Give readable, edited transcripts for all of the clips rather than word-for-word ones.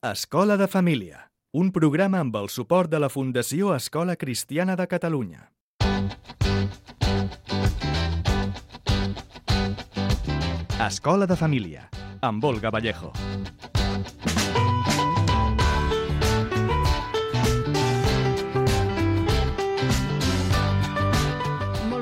Escola de Família, un programa amb el suport de la Fundació Escola Cristiana de Catalunya. Escola de Família, amb Olga Vallejo.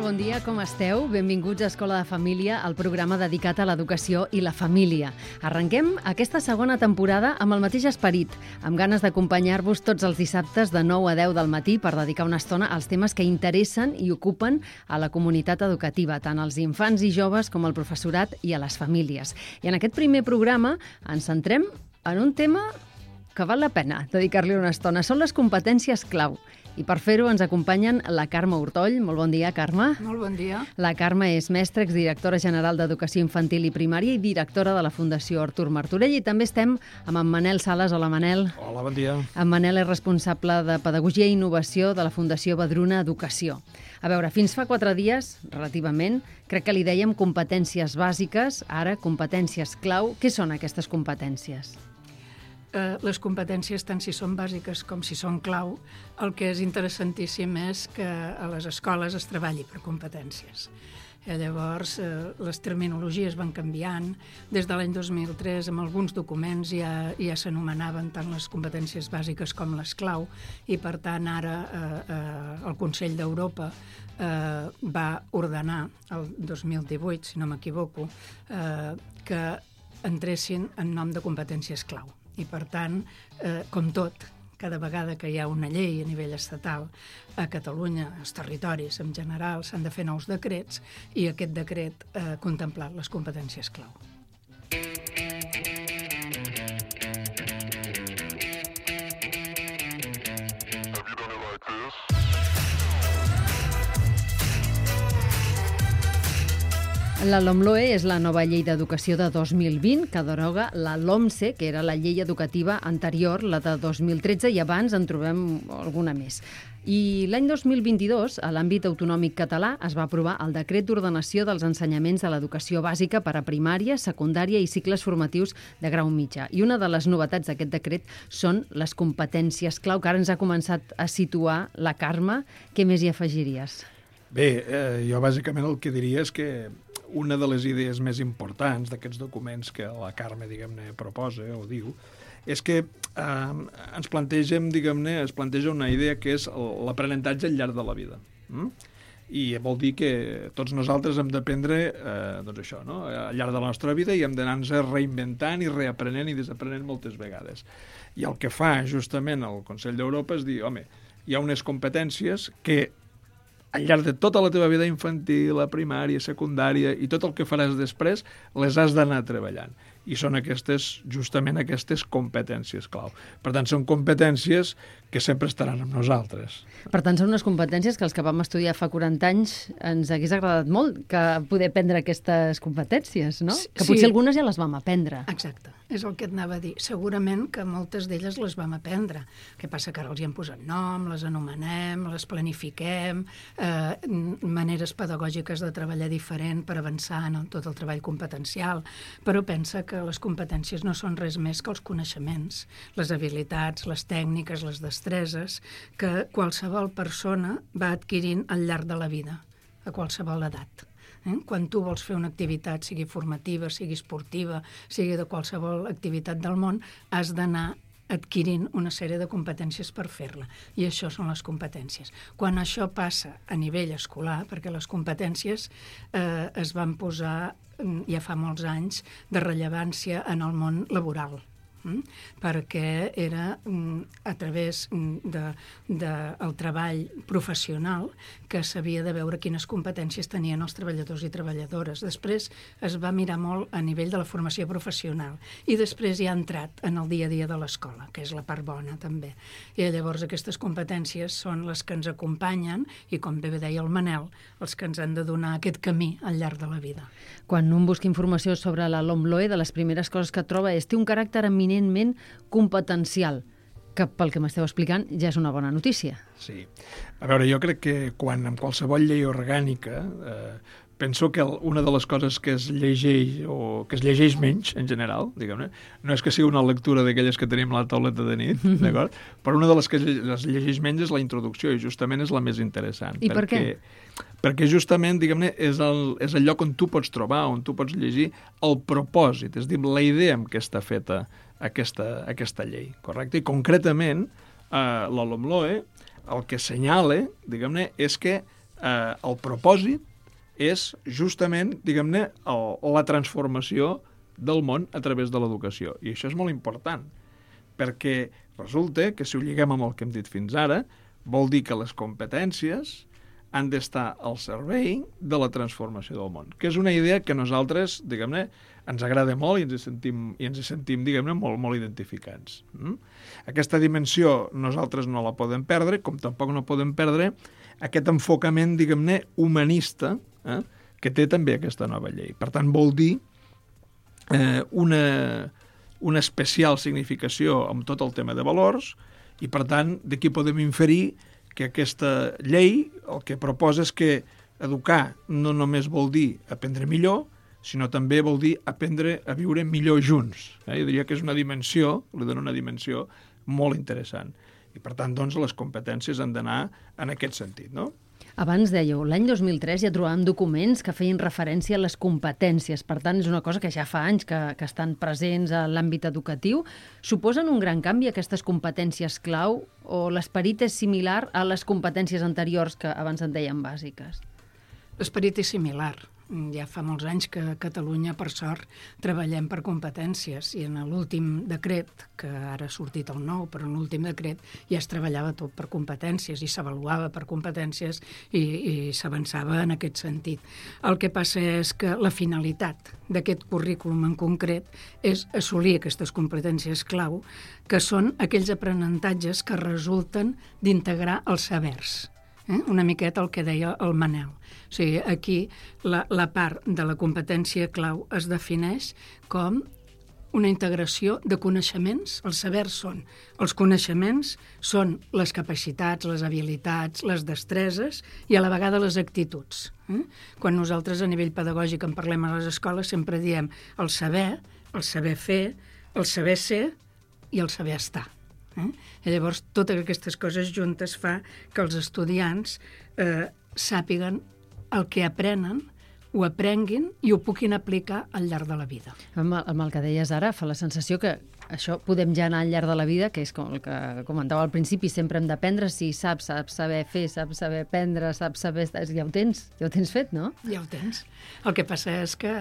Bon dia, com esteu? Benvinguts a Escola de Família, el programa dedicat a l'educació i la família. Arrenquem aquesta segona temporada amb el mateix esperit, amb ganes d'acompanyar-vos tots els dissabtes de 9 a 10 del matí per dedicar una estona als temes que interessen i ocupen a la comunitat educativa, tant als infants i joves com al professorat i a les famílies. I en aquest primer programa ens centrem en un tema que val la pena dedicar-li una estona. Són les competències clau. I per fer-ho ens acompanyen la Carme Ortoll. Molt bon dia, Carme. Molt bon dia. La Carme és mestra, exdirectora general d'Educació Infantil i Primària i directora de la Fundació Artur Martorell. I també estem amb en Manel Sales. Hola, Manel. Hola, bon dia. En Manel és responsable de Pedagogia i Innovació de la Fundació Badruna Educació. A veure, fins fa 4 dies, relativament, crec que li dèiem competències bàsiques, ara competències clau. Què són aquestes competències? Les competències, tant si són bàsiques com si són clau, el que és interessantíssim és que a les escoles es treballi per competències. Llavors, les terminologies van canviant. Des de l'any 2003, amb alguns documents ja s'anomenaven tant les competències bàsiques com les clau, i per tant ara el Consell d'Europa va ordenar, el 2018, si no m'equivoco, que entressin en nom de competències clau. I, per tant, com tot, cada vegada que hi ha una llei a nivell estatal a Catalunya, als territoris en general, s'han de fer nous decrets i aquest decret ha contemplat les competències clau. La LOMLOE és la nova llei d'educació de 2020 que deroga la LOMCE, que era la llei educativa anterior, la de 2013, i abans en trobem alguna més. I l'any 2022, a l'àmbit autonòmic català, es va aprovar el Decret d'Ordenació dels Ensenyaments de l'Educació Bàsica per a primària, secundària i cicles formatius de grau mitjà. I una de les novetats d'aquest decret són les competències clau, que ara ens ha començat a situar la Carme. Què més hi afegiries? Bé, jo bàsicament el que diria és que una de les idees més importants d'aquests documents que la Carme, diguem-ne, proposa o diu, és que es planteja una idea que és l'aprenentatge al llarg de la vida. I vol dir que tots nosaltres hem d'aprendre doncs això, no? Al llarg de la nostra vida, i hem d'anar-nos reinventant i reaprenent i desaprenent moltes vegades. I el que fa justament el Consell d'Europa és dir, home, hi ha unes competències que al llarg de tota la teva vida infantil, la primària, secundària i tot el que faràs després, les has d'anar treballant. I són justament aquestes competències clau. Per tant, són competències que sempre estaran amb nosaltres. Per tant, són unes competències que els que vam estudiar fa 40 anys ens hagués agradat molt que poder aprendre aquestes competències, no? Que potser algunes ja les vam aprendre. Exacte, és el que et anava a dir. Segurament que moltes d'elles les vam aprendre. El que passa que ara els hi hem posat nom, les anomenem, les planifiquem, maneres pedagògiques de treballar diferent per avançar en tot el treball competencial, però pensa que les competències no són res més que els coneixements, les habilitats, les tècniques, les destreses que qualsevol persona va adquirint al llarg de la vida, a qualsevol edat. Quan tu vols fer una activitat, sigui formativa, sigui esportiva, sigui de qualsevol activitat del món, has d'anar adquirint una sèrie de competències per fer-la. I això són les competències. Quan això passa a nivell escolar, perquè les competències es van posar ja fa molts anys de rellevància en el món laboral, perquè era a través del treball professional que s'havia de veure quines competències tenien els treballadors i treballadores. Després es va mirar molt a nivell de la formació professional i després ja ha entrat en el dia a dia de l'escola, que és la part bona també. I llavors aquestes competències són les que ens acompanyen i, com bé deia el Manel, els que ens han de donar aquest camí al llarg de la vida. Quan un busca informació sobre la LOMLOE, de les primeres coses que troba és té un caràcter eminentment competencial, que pel que m'esteu explicant ja és una bona notícia. Sí. A veure, jo crec que quan en qualsevol llei orgànica penso que una de les coses que es llegeix o que es llegeix menys, en general, diguem-ne, no és que sigui una lectura d'aquelles que tenim a la tauleta de nit, d'acord? Però una de les que es llegeix menys és la introducció i justament és la més interessant. I per què? Perquè justament, diguem-ne, és el lloc on tu pots trobar, on tu pots llegir el propòsit, és a dir, la idea amb què està feta aquesta llei, correcte? I concretament, la LOMLOE el que assenyala, diguem-ne, és que el propòsit és justament, diguem-ne, la transformació del món a través de l'educació. I això és molt important, perquè resulta que si ho lliguem amb el que hem dit fins ara, vol dir que les competències han d'estar al servei de la transformació del món, que és una idea que nosaltres, diguem-ne, ens agrada molt i ens hi sentim, diguem-ne, molt, molt identificats. Aquesta dimensió nosaltres no la podem perdre, com tampoc no podem perdre aquest enfocament, diguem-ne, humanista, que té també aquesta nova llei. Per tant, vol dir una especial significació amb tot el tema de valors i, per tant, d'aquí podem inferir que aquesta llei el que proposa és que educar no només vol dir aprendre millor, sinó també vol dir aprendre a viure millor junts. Jo diria que és una dimensió, li dona una dimensió molt interessant. I, per tant, doncs, les competències han d'anar en aquest sentit, no? Abans dèieu, l'any 2003 ja trobàvem documents que feien referència a les competències. Per tant, és una cosa que ja fa anys que estan presents a l'àmbit educatiu. Suposen un gran canvi aquestes competències clau o l'esperit és similar a les competències anteriors que abans en dèiem bàsiques? L'esperit és similar. Ja fa molts anys que a Catalunya, per sort, treballem per competències i en l'últim decret, que ara ha sortit el nou, però en l'últim decret ja es treballava tot per competències i s'avaluava per competències i s'avançava en aquest sentit. El que passa és que la finalitat d'aquest currículum en concret és assolir aquestes competències clau, que són aquells aprenentatges que resulten d'integrar els sabers. Una miqueta el que deia el Manel. O sigui, aquí la part de la competència clau es defineix com una integració de coneixements. Els sabers són els coneixements, són les capacitats, les habilitats, les destreses i a la vegada les actituds. Quan nosaltres a nivell pedagògic en parlem a les escoles sempre diem el saber fer, el saber ser i el saber estar. I llavors, totes aquestes coses juntes fa que els estudiants sàpiguen el que aprenen, ho aprenguin i ho puguin aplicar al llarg de la vida. Amb el que deies ara, fa la sensació que això podem ja anar al llarg de la vida, que és com el que comentava al principi, sempre hem d'aprendre, si saps saber fer, saps saber aprendre, saps saber... Ja ho tens fet, no? Ja ho tens. El que passa és que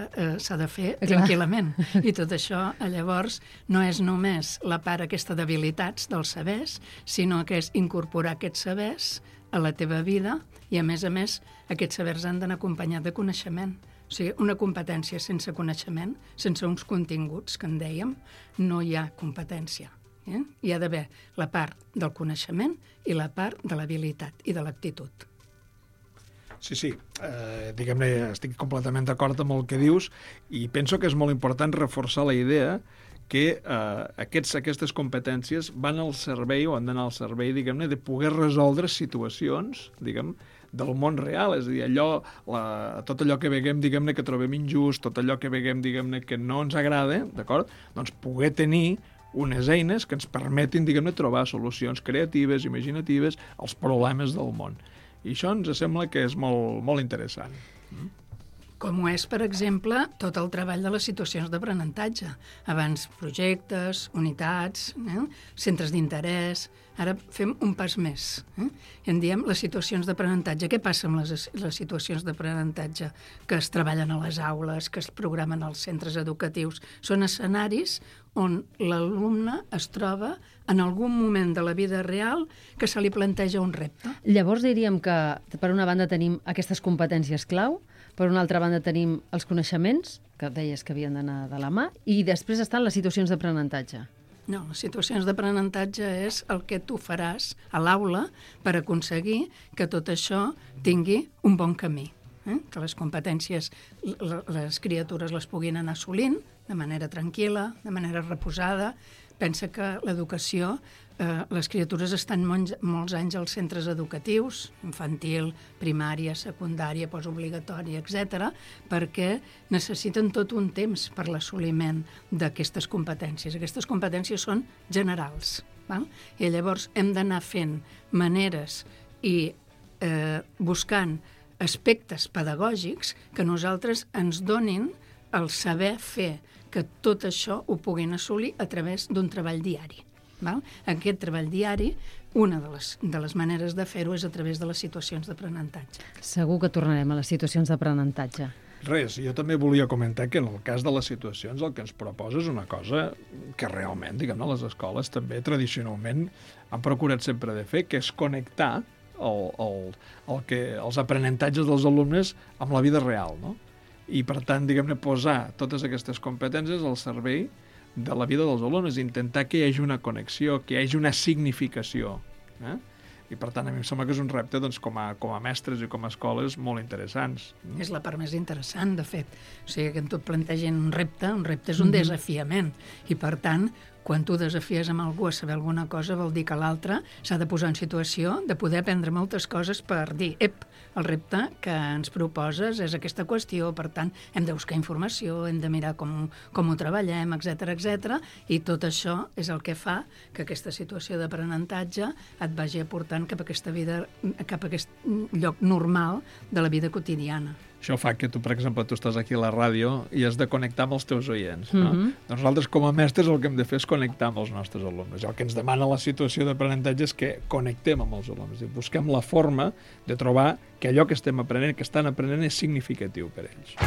s'ha de fer tranquil·lament. I tot això, llavors, no és només la part aquesta d'habilitats dels sabers, sinó que és incorporar aquests sabers a la teva vida i, a més, aquests sabers han d'anar acompanyats de coneixement. O sigui, una competència sense coneixement, sense uns continguts, que en dèiem, no hi ha competència. Hi ha d'haver la part del coneixement i la part de l'habilitat i de l'actitud. Sí. Diguem-ne, estic completament d'acord amb el que dius i penso que és molt important reforçar la idea que aquestes competències van al servei o han d'anar al servei, diguem-ne, de poder resoldre situacions, diguem, del món real, és a dir, tot allò que veiem, diguem-ne, que trobem injust, tot allò que veiem, diguem-ne, que no ens agrada, d'acord? Doncs poder tenir unes eines que ens permetin, diguem-ne, trobar solucions creatives, imaginatives als problemes del món. I això ens sembla que és molt, molt interessant. Com ho és, per exemple, tot el treball de les situacions d'aprenentatge. Abans projectes, unitats, centres d'interès. Ara fem un pas més. I en diem les situacions d'aprenentatge. Què passa amb les situacions d'aprenentatge que es treballen a les aules, que es programen als centres educatius? Són escenaris on l'alumne es troba en algun moment de la vida real que se li planteja un repte. Llavors diríem que, per una banda, tenim aquestes competències clau, per una altra banda tenim els coneixements, que deies que havien d'anar de la mà, i després estan les situacions d'aprenentatge. No, les situacions d'aprenentatge és el que tu faràs a l'aula per aconseguir que tot això tingui un bon camí. Que les competències les criatures les puguin anar assolint de manera tranquil·la, de manera reposada, pensa que l'educació, les criatures estan molts anys als centres educatius, infantil, primària, secundària, postobligatòria, etc., perquè necessiten tot un temps per l'assoliment d'aquestes competències. Aquestes competències són generals, val? I llavors hem d'anar fent maneres i buscant aspectes pedagògics que nosaltres ens donin el saber fer que tot això ho puguin assolir a través d'un treball diari. Val? Aquest treball diari, una de les maneres de fer-ho és a través de les situacions d'aprenentatge. Segur que tornarem a les situacions d'aprenentatge. Res, jo també volia comentar que en el cas de les situacions el que ens proposa és una cosa que realment, diguem-ne, les escoles també tradicionalment han procurat sempre de fer, que és connectar els aprenentatges dels alumnes amb la vida real, no? I, per tant, diguem-ne, posar totes aquestes competències al servei de la vida dels alumnes, intentar que hi hagi una connexió, que hi hagi una significació. I, per tant, a mi em sembla que és un repte, doncs, com a mestres i com a escoles molt interessants. És la part més interessant, de fet. O sigui, que tu plantegen un repte és un desafiament. I, per tant, quan tu desafies amb algú a saber alguna cosa, vol dir que l'altre s'ha de posar en situació de poder aprendre moltes coses per dir, el repte que ens proposes és aquesta qüestió, per tant, hem de buscar informació, hem de mirar com ho treballem, etc. I tot això és el que fa que aquesta situació d'aprenentatge et vagi aportant cap a aquesta vida, cap a aquest lloc normal de la vida quotidiana. Això fa que tu, per exemple, tu estàs aquí a la ràdio i has de connectar amb els teus oients, no? Doncs nosaltres, com a mestres, el que hem de fer és connectar amb els nostres alumnes. I el que ens demana la situació d'aprenentatge és que connectem amb els alumnes i busquem la forma de trobar que allò que estem aprenent, que estan aprenent, és significatiu per ells.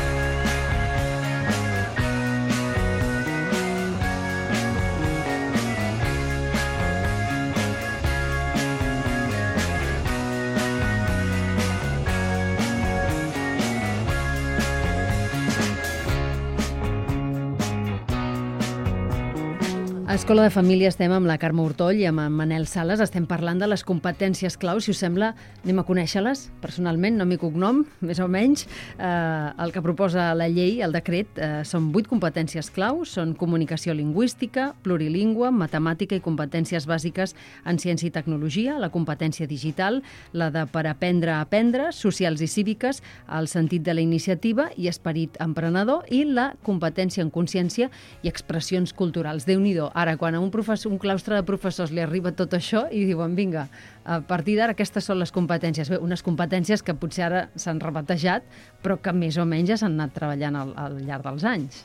A Escola de Família estem amb la Carme Hurtoll i amb en Manel Sales. Estem parlant de les competències clau. Si us sembla, anem a conèixer-les personalment, nom i cognom, més o menys. El que proposa la llei, el decret, són 8 competències clau. Són comunicació lingüística, plurilingüe, matemàtica i competències bàsiques en ciència i tecnologia, la competència digital, la de per aprendre a aprendre, socials i cíviques, el sentit de la iniciativa i esperit emprenedor, i la competència en consciència i expressions culturals. Déu-n'hi-do. Ara, quan a un claustre de professors li arriba tot això i diuen, vinga, a partir d'ara aquestes són les competències. Bé, unes competències que potser ara s'han rebatejat, però que més o menys ja s'han anat treballant al llarg dels anys.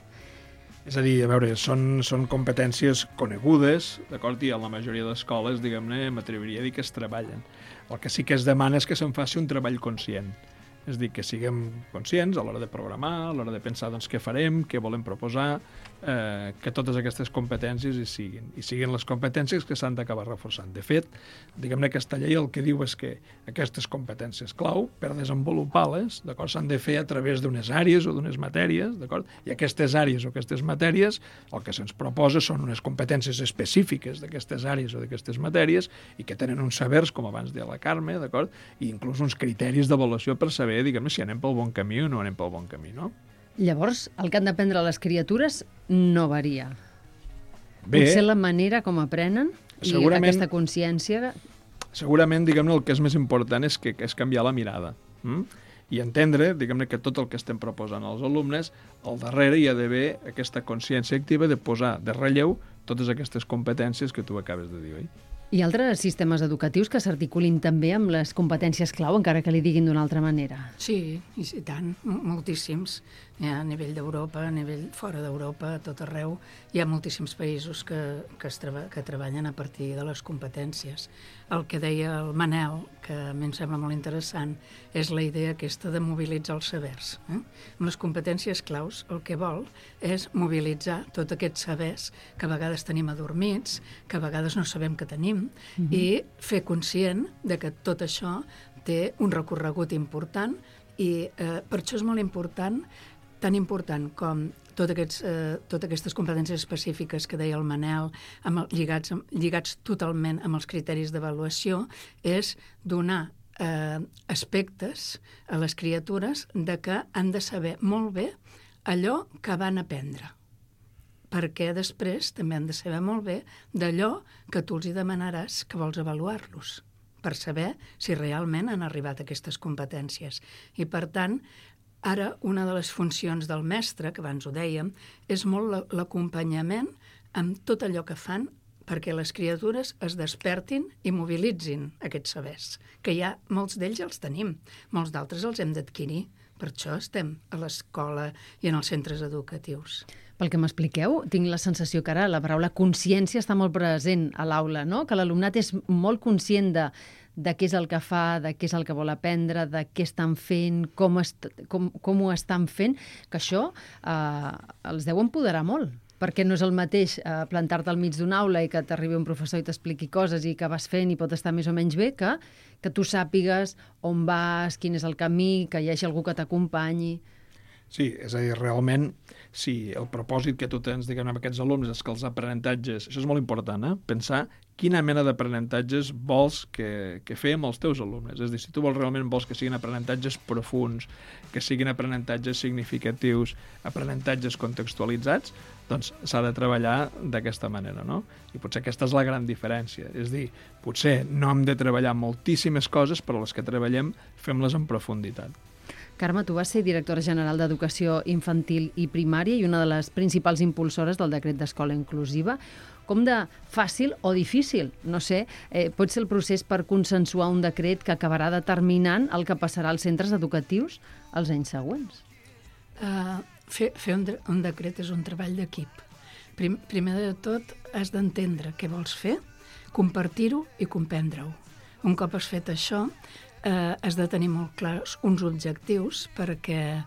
És a dir, a veure, són competències conegudes, d'acord? I a la majoria d'escoles, diguem-ne, m'atreviria a dir que es treballen. El que sí que es demana és que se'n faci un treball conscient. És a dir, que siguem conscients a l'hora de programar, a l'hora de pensar doncs, què farem, què volem proposar, que totes aquestes competències hi siguin les competències que s'han d'acabar reforçant. De fet, diguem-ne, aquesta llei el que diu és que aquestes competències clau, per desenvolupar-les, d'acord, s'han de fer a través d'unes àrees o d'unes matèries, d'acord? I aquestes àrees o aquestes matèries, el que se'ns proposa són unes competències específiques d'aquestes àrees o d'aquestes matèries i que tenen uns sabers, com abans deia la Carme, d'acord? I inclús uns criteris d'avaluació per saber, diguem-ne, si anem pel bon camí o no anem pel bon camí, no? Llavors, el que han d'aprendre les criatures no varia. Potser la manera com aprenen i aquesta consciència... Segurament, diguem-ne, el que és més important és canviar la mirada. I entendre, diguem-ne, que tot el que estem proposant als alumnes, al darrere hi ha d'haver aquesta consciència activa de posar de relleu totes aquestes competències que tu acabes de dir, oi? Hi ha altres sistemes educatius que s'articulin també amb les competències clau, encara que li diguin d'una altra manera? Sí, i tant, moltíssims. A nivell d'Europa, a nivell fora d'Europa, a tot arreu, hi ha moltíssims països que treballen a partir de les competències. El que deia el Manel, que a mi em sembla molt interessant, és la idea aquesta de mobilitzar els sabers. Amb les competències claus el que vol és mobilitzar tots aquests sabers que a vegades tenim adormits, que a vegades no sabem que tenim, i fer conscient de que tot això té un recorregut important i per això és molt important, tan important com totes aquestes competències específiques que deia el Manel, lligats totalment amb els criteris d'avaluació, és donar aspectes a les criatures de que han de saber molt bé allò que van aprendre. perquè després també han de saber molt bé d'allò que tu els hi demanaràs que vols avaluar-los, per saber si realment han arribat a aquestes competències. I, per tant, ara una de les funcions del mestre, que abans ho dèiem, és molt l'acompanyament amb tot allò que fan perquè les criatures es despertin i mobilitzin aquests sabers, que ja molts d'ells els tenim, molts d'altres els hem d'adquirir. Per això estem a l'escola i en els centres educatius. Pel que m'expliqueu, tinc la sensació que ara la paraula consciència està molt present a l'aula, no? Que l'alumnat és molt conscient de què és el que fa, de què és el que vol aprendre, de què estan fent, com ho estan fent, que això els deu empoderar molt. Perquè no és el mateix plantar-te al mig d'una aula i que t'arribi un professor i t'expliqui coses i que vas fent i pot estar més o menys bé, que tu sàpigues on vas, quin és el camí, que hi hagi algú que t'acompanyi. Sí, és a dir, realment, si el propòsit que tu tens, diguem, amb aquests alumnes és que els aprenentatges, això és molt important, pensar quina mena d'aprenentatges vols que fem els teus alumnes. És a dir, si tu realment vols que siguin aprenentatges profuns, que siguin aprenentatges significatius, aprenentatges contextualitzats, doncs s'ha de treballar d'aquesta manera, no? I potser aquesta és la gran diferència. És a dir, potser no hem de treballar moltíssimes coses, però les que treballem fem-les en profunditat. Carme, tu vas ser directora general d'Educació Infantil i Primària i una de les principals impulsores del decret d'escola inclusiva. Com de fàcil o difícil, no sé, pot ser el procés per consensuar un decret que acabarà determinant el que passarà als centres educatius els anys següents? Fer un decret és un treball d'equip. Primer de tot, has d'entendre què vols fer, compartir-ho i comprendre-ho. Un cop has fet això, has de tenir molt clars uns objectius perquè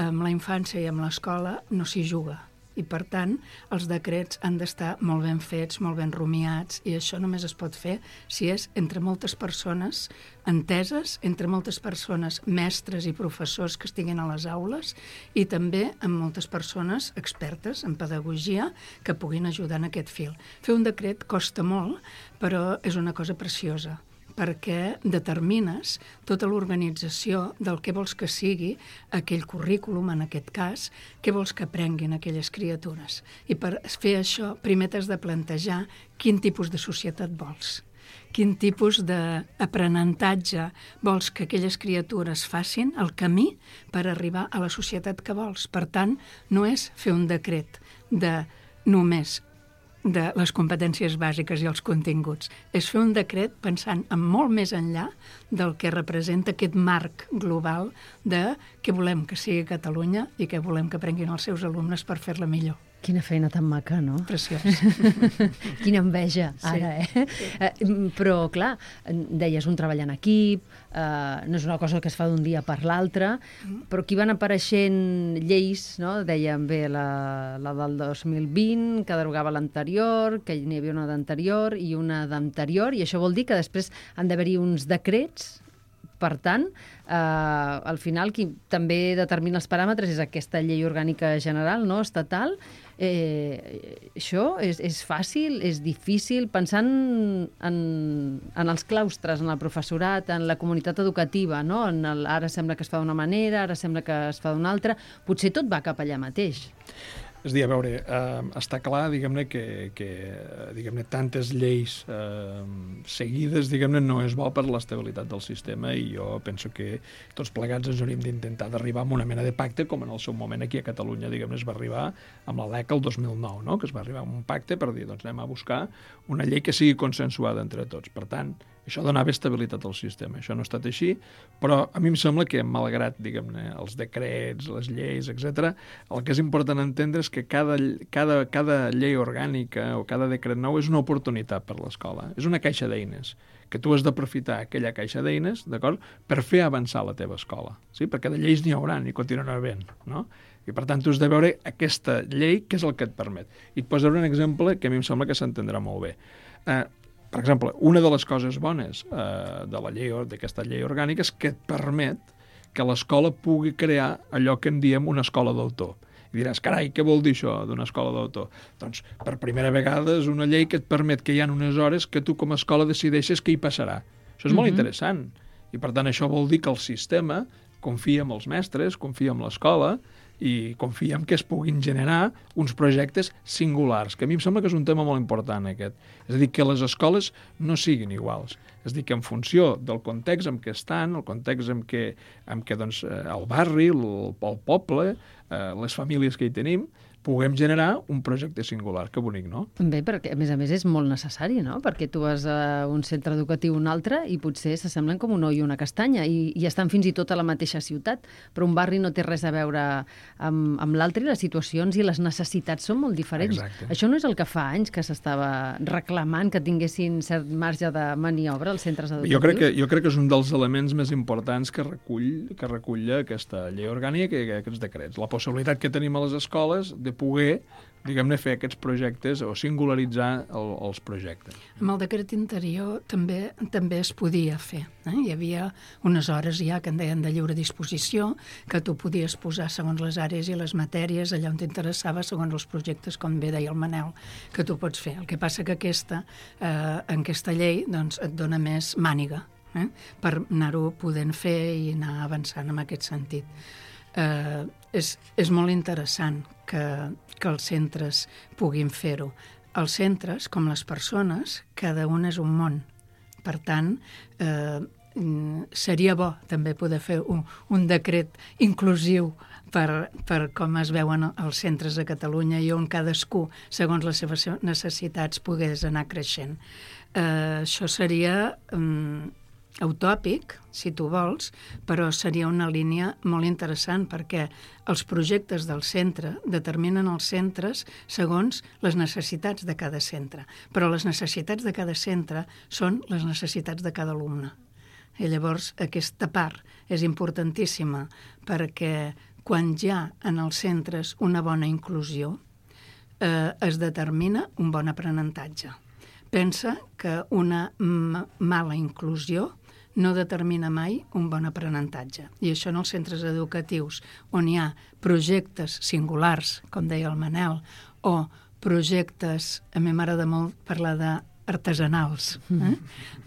amb la infància i amb l'escola no s'hi juga. I, per tant, els decrets han d'estar molt ben fets, molt ben rumiats, i això només es pot fer si és entre moltes persones enteses, entre moltes persones mestres i professors que estiguin a les aules, i també amb moltes persones expertes en pedagogia que puguin ajudar en aquest fil. Fer un decret costa molt, però és una cosa preciosa, perquè determines tota l'organització del que vols que sigui aquell currículum, en aquest cas, què vols que aprenguin aquelles criatures. I per fer això, primer t'has de plantejar quin tipus de societat vols, quin tipus d'aprenentatge vols que aquelles criatures facin, el camí per arribar a la societat que vols. Per tant, no és fer un decret de només de les competències bàsiques i els continguts. És fer un decret pensant en molt més enllà del que representa aquest marc global de què volem que sigui Catalunya i què volem que aprenguin els seus alumnes per fer-la millor. Quina feina tan maca, no? Preciós. Quina enveja, ara, Però, clar, deies un treball en equip, no és una cosa que es fa d'un dia per l'altre, però aquí van apareixent lleis, no? Dèiem bé la del 2020, que derogava l'anterior, que n'hi havia una d'anterior i una d'anterior, i això vol dir que després han d'haver-hi uns decrets. Per tant, al final, qui també determina els paràmetres és aquesta llei orgànica general, no, estatal. Això és fàcil, és difícil, pensant en els claustres, en el professorat, en la comunitat educativa, no? Ara sembla que es fa d'una manera, ara sembla que es fa d'una altra. Potser tot va cap allà mateix. És a dir, a veure, està clar, diguem-ne, que diguem-ne, tantes lleis seguides, diguem-ne, no és bo per l'estabilitat del sistema, i jo penso que tots plegats ens hauríem d'intentar d'arribar a una mena de pacte, com en el seu moment aquí a Catalunya, diguem-ne, es va arribar amb la LEC el 2009, no? Que es va arribar a un pacte per dir, doncs anem a buscar una llei que sigui consensuada entre tots. Per tant, això donava estabilitat al sistema. Això no ha estat així, però a mi em sembla que, malgrat, diguem-ne, els decrets, les lleis, etc., el que és important entendre és que cada llei orgànica o cada decret nou és una oportunitat per l'escola. És una caixa d'eines, que tu has d'aprofitar aquella caixa d'eines, d'acord?, per fer avançar la teva escola. Sí? Perquè de lleis n'hi haurà, i continuarà havent, no? I, per tant, tu has de veure aquesta llei, què és el que et permet. I et posaré un exemple que a mi em sembla que s'entendrà molt bé. Per exemple, una de les coses bones d'aquesta llei orgànica és que et permet que l'escola pugui crear allò que en diem una escola d'autor. I diràs, carai, què vol dir això d'una escola d'autor? Doncs, per primera vegada, és una llei que et permet que hi ha unes hores que tu com a escola decideixes què hi passarà. Això és molt interessant. I, per tant, això vol dir que el sistema confia en els mestres, confia en l'escola, i confiem que es puguin generar uns projectes singulars, que a mi em sembla que és un tema molt important aquest. És a dir, que les escoles no siguin iguals. És a dir, que en funció del context en què estan, el context en què doncs, el barri, el poble, les famílies que hi tenim, puguem generar un projecte singular. Que bonic, no? Bé, perquè a més és molt necessari, no? Perquè tu vas a un centre educatiu o un altre i potser s'assemblen com un ou i una castanya i estan fins i tot a la mateixa ciutat, però un barri no té res a veure amb l'altre i les situacions i les necessitats són molt diferents. Exacte. Això no és el que fa anys que s'estava reclamant que tinguessin cert marge de maniobra als centres educatius? Jo crec que és un dels elements més importants que recull aquesta llei orgànica i aquests decrets. La possibilitat que tenim a les escoles de poder, diguem-ne, fer aquests projectes o singularitzar els projectes. Amb el decret interior també es podia fer. Hi havia unes hores ja que en deien de lliure disposició, que tu podies posar segons les àrees i les matèries allà on t'interessava, segons els projectes, com bé deia el Manel, que tu pots fer. El que passa que en aquesta llei doncs, et dona més màniga per anar-ho podent fer i anar avançant en aquest sentit. És molt interessant que els centres puguin fer-ho. Els centres, com les persones, cada un és un món. Per tant, seria bo també poder fer un decret inclusiu per com es veuen els centres a Catalunya i on cadascú, segons les seves necessitats, pogués anar creixent. Això seria utòpic, si tu vols, però seria una línia molt interessant perquè els projectes del centre determinen els centres segons les necessitats de cada centre, però les necessitats de cada centre són les necessitats de cada alumne. I llavors aquesta part és importantíssima perquè quan hi ha en els centres una bona inclusió es determina un bon aprenentatge. Pensa que una mala inclusió no determina mai un bon aprenentatge. I això en els centres educatius, on hi ha projectes singulars, com deia el Manel, o projectes, a mi m'agrada molt parlar d'artesanals,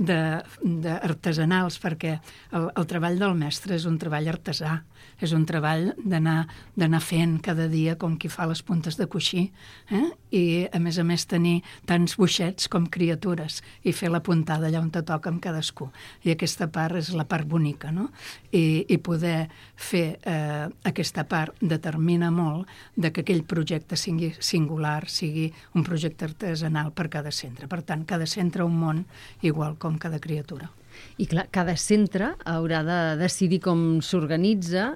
d'artesanals, perquè el treball del mestre és un treball artesà, és un treball d'anar fent cada dia com qui fa les puntes de coixí, i a més tenir tants boixets com criatures i fer la puntada allà on te toca amb cadascú. I aquesta part és la part bonica, no? I poder fer aquesta part determina molt de que aquell projecte sigui singular, sigui un projecte artesanal per cada centre. Per tant, cada centre un món igual com cada criatura. I clar, cada centre haurà de decidir com s'organitza,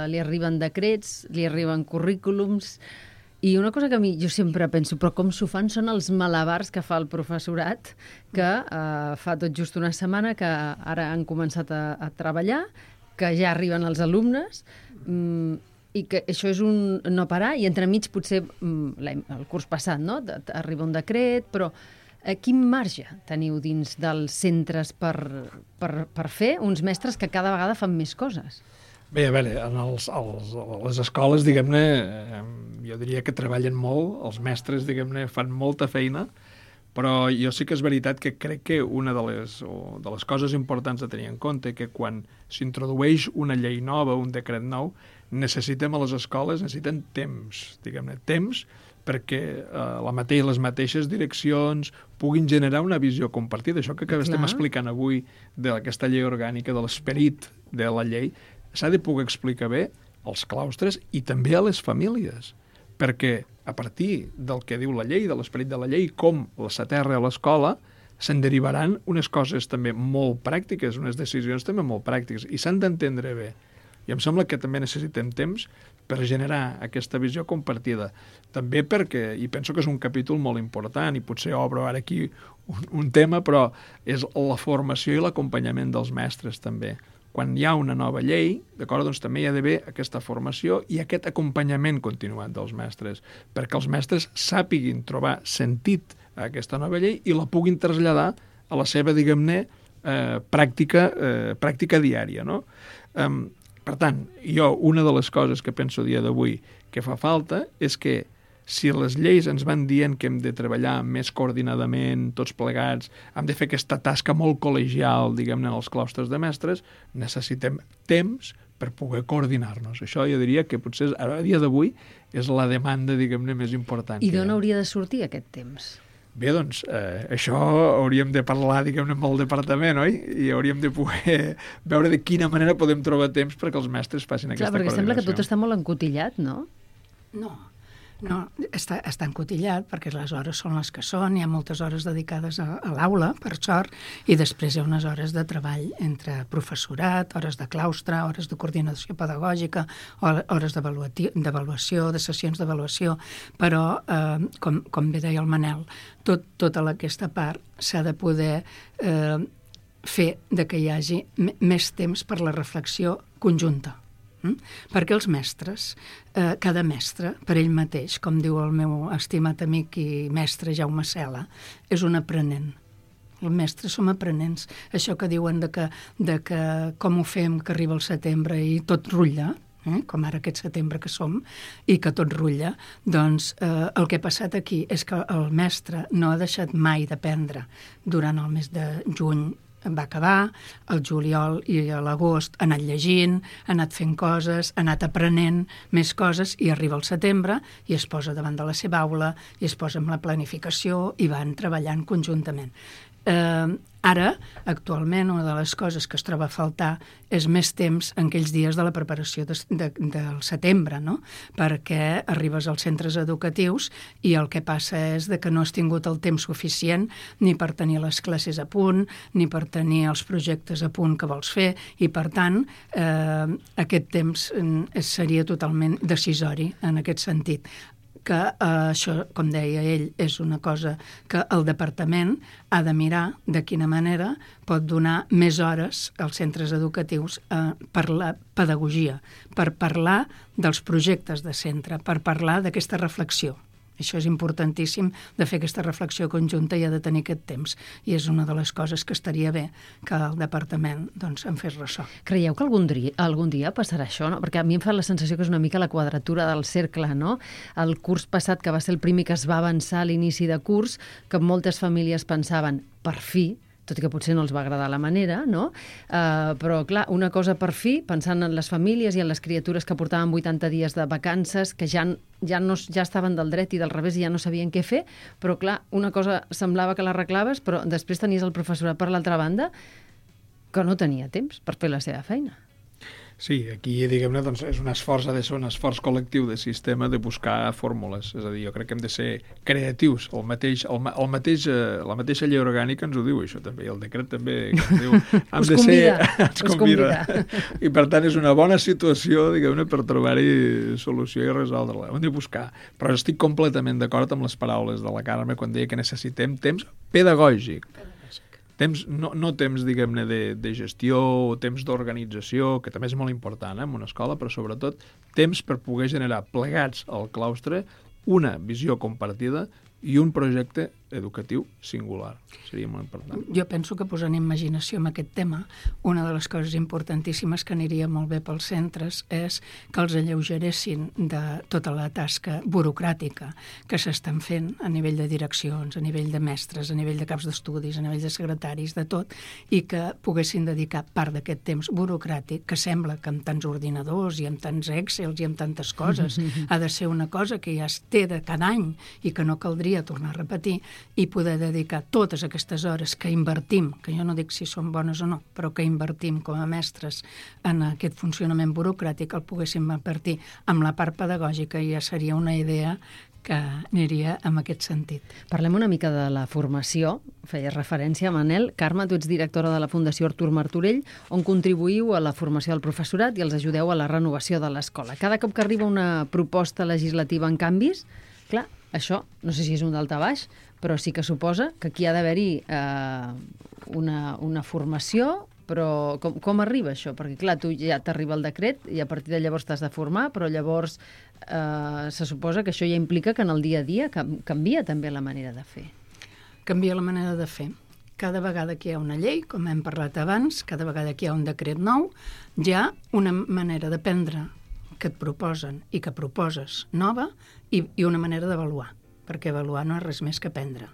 li arriben decrets, li arriben currículums, i una cosa que a mi jo sempre penso, però com s'ho fan són els malabars que fa el professorat, que fa tot just una setmana que ara han començat a treballar, que ja arriben els alumnes, i que això és un no parar, i entremig potser el curs passat, no? Arriba un decret, però quin marge teniu dins dels centres per fer uns mestres que cada vegada fan més coses? Bé, a veure, les escoles, diguem-ne, jo diria que treballen molt, els mestres, diguem-ne, fan molta feina, però jo sí que és veritat que crec que una de les coses importants a tenir en compte que quan s'introdueix una llei nova, un decret nou, necessitem a les escoles, necessiten temps, diguem-ne, temps perquè les mateixes direccions puguin generar una visió compartida. Això que estem explicant avui d'aquesta llei orgànica, de l'esperit de la llei, s'ha de poder explicar bé als claustres i també a les famílies, perquè a partir del que diu la llei, de l'esperit de la llei, com s'aterra a l'escola, se'n derivaran unes coses també molt pràctiques, unes decisions també molt pràctiques, i s'han d'entendre bé. I em sembla que també necessitem temps per generar aquesta visió compartida. També perquè, i penso que és un capítol molt important, i potser obro ara aquí un tema, però és la formació i l'acompanyament dels mestres també. Quan hi ha una nova llei, d'acord, doncs també hi ha d'haver aquesta formació i aquest acompanyament continuat dels mestres, perquè els mestres sàpiguin trobar sentit a aquesta nova llei i la puguin traslladar a la seva, diguem-ne, pràctica diària, no? Per tant, jo, una de les coses que penso a dia d'avui que fa falta és que si les lleis ens van dient que hem de treballar més coordinadament, tots plegats, hem de fer aquesta tasca molt col·legial, diguem-ne, en els claustres de mestres, necessitem temps per poder coordinar-nos. Això jo diria que potser a dia d'avui és la demanda, diguem-ne, més important. I d'on hauria de sortir aquest temps? Bé, doncs, això hauríem de parlar, diguem-ne, amb el departament, oi? I hauríem de poder veure de quina manera podem trobar temps perquè els mestres facin aquesta coordinació. Perquè sembla que tot està molt encotillat, no? No, està encotillat perquè les hores són les que són, hi ha moltes hores dedicades a l'aula, per sort, i després hi ha unes hores de treball entre professorat, hores de claustre, hores de coordinació pedagògica, hores d'avaluació, de sessions d'avaluació, però, com bé deia el Manel, tota aquesta part s'ha de poder fer de que hi hagi més temps per la reflexió conjunta. Perquè els mestres, cada mestre, per ell mateix, com diu el meu estimat amic i mestre Jaume Cela, és un aprenent. Els mestres som aprenents. Això que diuen de que com ho fem, que arriba el setembre i tot rutlla, com ara aquest setembre que som, i que tot rutlla, doncs el que ha passat aquí és que el mestre no ha deixat mai d'aprendre durant el mes de juny. Va acabar, el juliol i a l'agost ha anat llegint, ha anat fent coses, ha anat aprenent més coses i arriba el setembre i es posa davant de la seva aula i es posa amb la planificació i van treballant conjuntament. Ara, actualment, una de les coses que es troba a faltar és més temps en aquells dies de la preparació del setembre, no? Perquè arribes als centres educatius i el que passa és que no has tingut el temps suficient ni per tenir les classes a punt, ni per tenir els projectes a punt que vols fer, i per tant aquest temps seria totalment decisori en aquest sentit. Que això, com deia ell, és una cosa que el departament ha de mirar de quina manera pot donar més hores als centres educatius per la pedagogia, per parlar dels projectes de centre, per parlar d'aquesta reflexió. Això és importantíssim, de fer aquesta reflexió conjunta i ha de tenir aquest temps. I és una de les coses que estaria bé que el departament en fes ressò. Creieu que algun dia passarà això? No? Perquè a mi em fa la sensació que és una mica la quadratura del cercle, no? El curs passat, que va ser el primer que es va avançar a l'inici de curs, que moltes famílies pensaven, per fi, tot i que potser no els va agradar la manera, no? Però, clar, una cosa per fi, pensant en les famílies i en les criatures que portaven 80 dies de vacances, que ja estaven del dret i del revés i ja no sabien què fer, però, clar, una cosa semblava que l'arreglaves, però després tenies el professorat per l'altra banda que no tenia temps per fer la seva feina. Sí, aquí, diguem-ne, doncs, és un esforç, ha de ser un esforç col·lectiu de sistema de buscar fórmules. És a dir, jo crec que hem de ser creatius. La mateixa llei orgànica ens ho diu, això també, i el decret també ens diu... Ens convida. I, per tant, és una bona situació, diguem-ne, per trobar-hi solució i resoldre-la. Hem de buscar. Però estic completament d'acord amb les paraules de la Carme quan deia que necessitem temps pedagògic. Temps, no temps, diguem-ne, de gestió o temps d'organització, que també és molt important en una escola, però sobretot temps per poder generar plegats al claustre una visió compartida i un projecte educatiu singular. Seria molt important. Jo penso que posant imaginació en aquest tema, una de les coses importantíssimes que aniria molt bé pels centres és que els alleugeressin de tota la tasca burocràtica que s'estan fent a nivell de direccions, a nivell de mestres, a nivell de caps d'estudis, a nivell de secretaris, de tot, i que poguessin dedicar part d'aquest temps burocràtic, que sembla que amb tants ordinadors i amb tants Excels i amb tantes coses ha de ser una cosa que ja es té de cada any i que no caldria tornar a repetir, i poder dedicar totes aquestes hores que invertim, que jo no dic si són bones o no, però que invertim com a mestres en aquest funcionament burocràtic, el poguéssim invertir amb la part pedagògica i ja seria una idea que aniria en aquest sentit. Parlem una mica de la formació. Feies referència, Manel. Carme, tu ets directora de la Fundació Artur Martorell, on contribuïu a la formació del professorat i els ajudeu a la renovació de l'escola. Cada cop que arriba una proposta legislativa en canvis, clar, això, no sé si és un daltabaix, però sí que suposa que aquí ha d'haver-hi una formació, però com arriba això? Perquè, clar, tu ja t'arriba el decret i a partir de llavors t'has de formar, però llavors se suposa que això ja implica que en el dia a dia canvia també la manera de fer. Canvia la manera de fer. Cada vegada que hi ha una llei, com hem parlat abans, cada vegada que hi ha un decret nou, hi ha una manera d'aprendre que et proposen i que proposes nova i una manera d'avaluar, perquè avaluar no és res més que aprendre.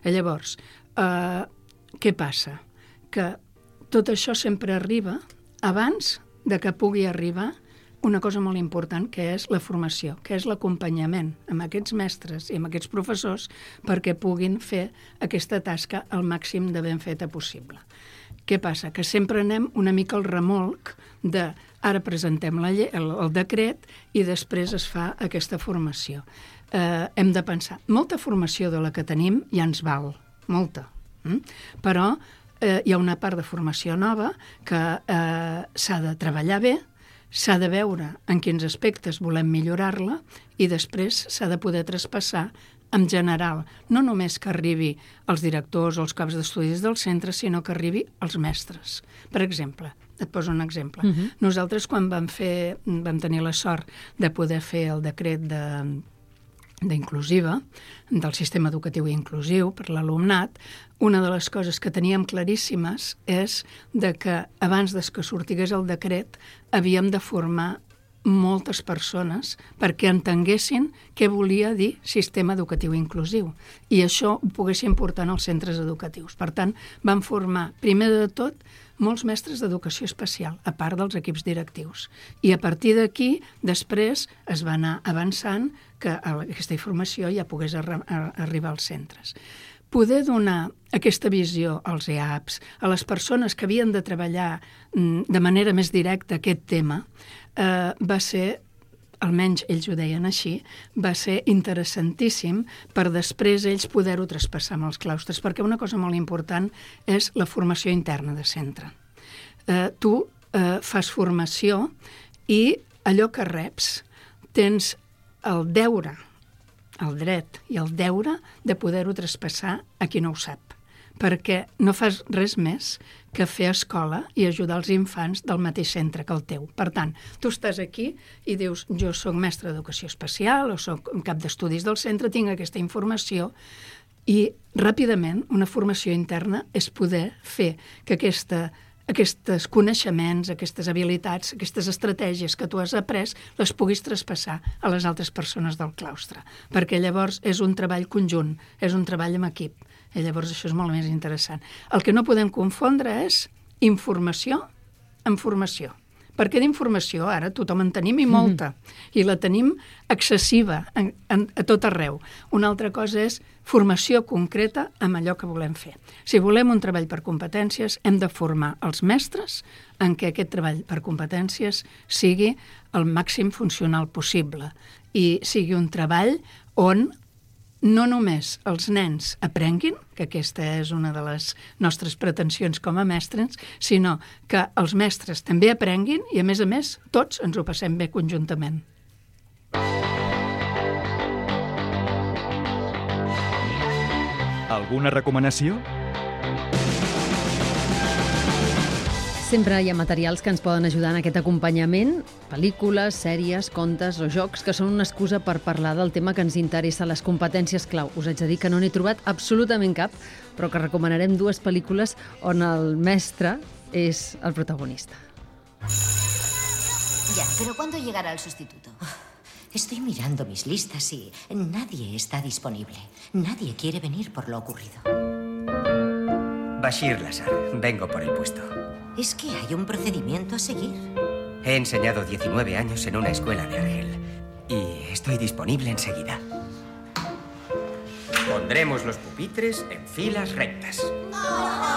Llavors, què passa? Que tot això sempre arriba abans de que pugui arribar una cosa molt important, que és la formació, que és l'acompanyament amb aquests mestres i amb aquests professors perquè puguin fer aquesta tasca al màxim de ben feta possible. Què passa? Que sempre anem una mica al remolc de ara presentem el decret i després es fa aquesta formació. Hem de pensar, molta formació de la que tenim ja ens val, molta, però hi ha una part de formació nova que s'ha de treballar bé, s'ha de veure en quins aspectes volem millorar-la i després s'ha de poder traspassar en general, no només que arribi als directors o als caps d'estudis del centre, sinó que arribi als mestres. Per exemple, et poso un exemple. Nosaltres, quan vam tenir la sort de poder fer el decret d'inclusiva, del sistema educatiu inclusiu per l'alumnat, una de les coses que teníem claríssimes és de que abans que sortigués el decret havíem de formar moltes persones perquè entenguessin què volia dir sistema educatiu inclusiu i això ho poguessin portar als centres educatius. Per tant, vam formar, primer de tot, molts mestres d'educació especial, a part dels equips directius. I a partir d'aquí, després, es va anar avançant que aquesta informació ja pogués arribar als centres. Poder donar aquesta visió als EAPs, a les persones que havien de treballar de manera més directa aquest tema, va ser, almenys ells ho deien així, va ser interessantíssim per després ells poder-ho traspassar amb els claustres, perquè una cosa molt important és la formació interna de centre. Tu fas formació i allò que reps tens el deure, el dret i el deure de poder-ho traspassar a qui no ho sap, perquè no fas res més que fer escola i ajudar els infants del mateix centre que el teu. Per tant, tu estàs aquí i dius, jo soc mestre d'educació especial o soc cap d'estudis del centre, tinc aquesta informació i ràpidament una formació interna és poder fer que aquests coneixements, aquestes habilitats, aquestes estratègies que tu has après, les puguis traspassar a les altres persones del claustre. Perquè llavors és un treball conjunt, és un treball en equip. I llavors això és molt més interessant. El que no podem confondre és informació amb formació. Perquè d'informació ara tothom en tenim i molta, i la tenim excessiva a tot arreu. Una altra cosa és formació concreta amb allò que volem fer. Si volem un treball per competències, hem de formar els mestres en què aquest treball per competències sigui el màxim funcional possible i sigui un treball on no només els nens aprenguin, que aquesta és una de les nostres pretensions com a mestres, sinó que els mestres també aprenguin i, a més, tots ens ho passem bé conjuntament. Alguna recomanació? Sempre hi ha materials que ens poden ajudar en aquest acompanyament, pel·lícules, sèries, contes o jocs que són una excusa per parlar del tema que ens interessa, les competències clau. Us haig de dir que no n'he trobat absolutament cap, però que recomanarem dues pel·lícules on el mestre és el protagonista. Ya, pero ¿cuándo llegará el sustituto? Estoy mirando mis listas y nadie está disponible. Nadie quiere venir por lo ocurrido. Bashir Lazar, vengo por el puesto. ¿Es que hay un procedimiento a seguir? He enseñado 19 años en una escuela de Argel y estoy disponible enseguida. Pondremos los pupitres en filas rectas.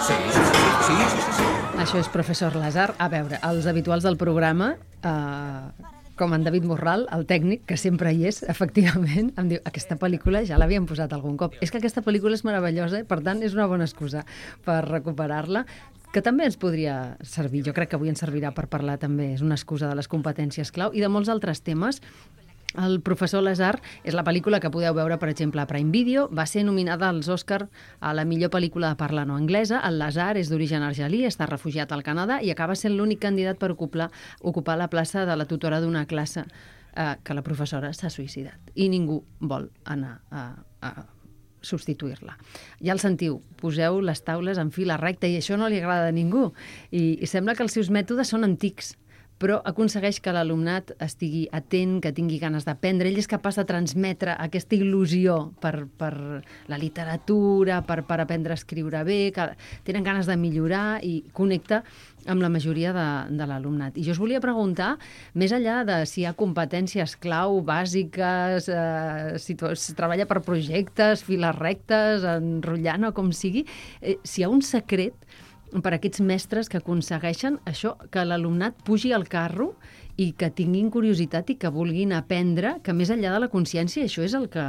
Sí. Això és professor Lazar. A veure, els habituals del programa, com en David Morral, el tècnic, que sempre hi és, efectivament, em diu, aquesta pel·lícula ja l'havíem posat algun cop. És que aquesta pel·lícula és meravellosa, per tant, és una bona excusa per recuperar-la, que també ens podria servir. Jo crec que avui ens servirà per parlar també, és una excusa de les competències clau i de molts altres temes. El professor Lazar és la pel·lícula que podeu veure, per exemple, a Prime Video. Va ser nominada als Òscar a la millor pel·lícula de parla no anglesa. El Lazar és d'origen argelí, està refugiat al Canadà i acaba sent l'únic candidat per ocupar la plaça de la tutora d'una classe que la professora s'ha suïcidat. I ningú vol anar a substituir-la. Ja el sentiu, poseu les taules en fila recta i això no li agrada a ningú. I sembla que els seus mètodes són antics, però aconsegueix que l'alumnat estigui atent, que tingui ganes d'aprendre. Ell és capaç de transmetre aquesta il·lusió per la literatura, per aprendre a escriure bé, que tenen ganes de millorar i connecta amb la majoria de l'alumnat. I jo us volia preguntar, més enllà de si hi ha competències clau, bàsiques, si es treballa per projectes, files rectes, enrotllant o com sigui, si hi ha un secret per a aquests mestres que aconsegueixen això, que l'alumnat pugi al carro i que tinguin curiositat i que vulguin aprendre, que més enllà de la consciència això és el que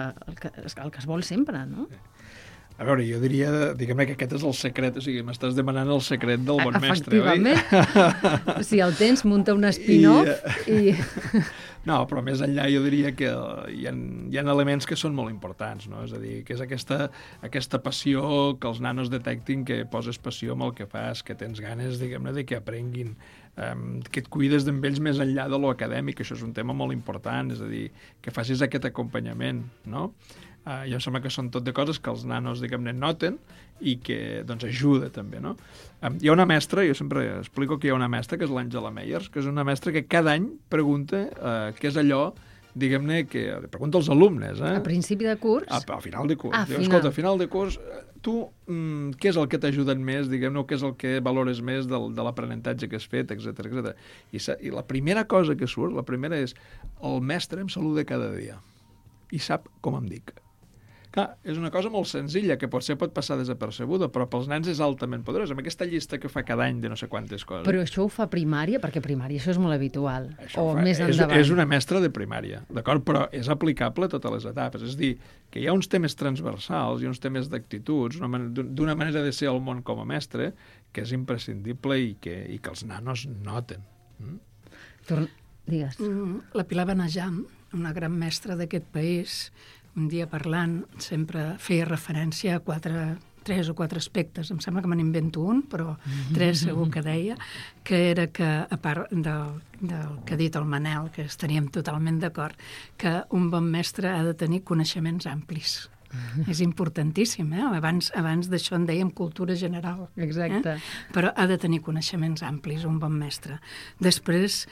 es vol sempre, no? A veure, jo diria, diguem-ne que aquest és el secret, o sigui, m'estàs demanant el secret del bon mestre, oi? Efectivament. Si el tens, munta un spin-off i... No, però més enllà jo diria que hi ha elements que són molt importants, no? És a dir, que és aquesta passió, que els nanos detectin que poses passió amb el que fas, que tens ganes, diguem-ne, de que aprenguin, que et cuides d'ells més enllà de lo acadèmic, això és un tema molt important, és a dir, que facis aquest acompanyament, no? Jo em sembla que són tot de coses que els nanos, diguem-ne, noten i que, doncs, ajuda també, no? Hi ha una mestra, jo sempre explico que hi ha una mestra, que és l'Àngela Meyers, que és una mestra que cada any pregunta què és allò, diguem-ne, que pregunta als alumnes. A principi de curs? A final de curs. Escolta, a final de curs, tu, què és el que t'ha ajudat més, diguem-ne, què és el que valores més de l'aprenentatge que has fet, etc. I la primera cosa que surt, la primera és, el mestre em saluda cada dia i sap com em dic. Clar, és una cosa molt senzilla, que potser pot passar desapercebuda, però pels nens és altament poderosa, amb aquesta llista que fa cada any de no sé quantes coses. Però això ho fa primària? Perquè primària això és molt habitual. Això més endavant. És una mestra de primària, d'acord? Però és aplicable a totes les etapes. És a dir, que hi ha uns temes transversals i uns temes d'actituds, d'una manera de ser al món com a mestre, que és imprescindible i que els nanos noten. Digues. La Pilar Benejam, una gran mestra d'aquest país, un dia parlant sempre feia referència a 3 o 4 aspectes. Em sembla que me n'invento un, però 3 segur que deia, que era que, a part del que ha dit el Manel, que estaríem totalment d'acord, que un bon mestre ha de tenir coneixements amplis. És importantíssim, Abans d'això en dèiem cultura general. Exacte. Però ha de tenir coneixements amplis, un bon mestre. Després,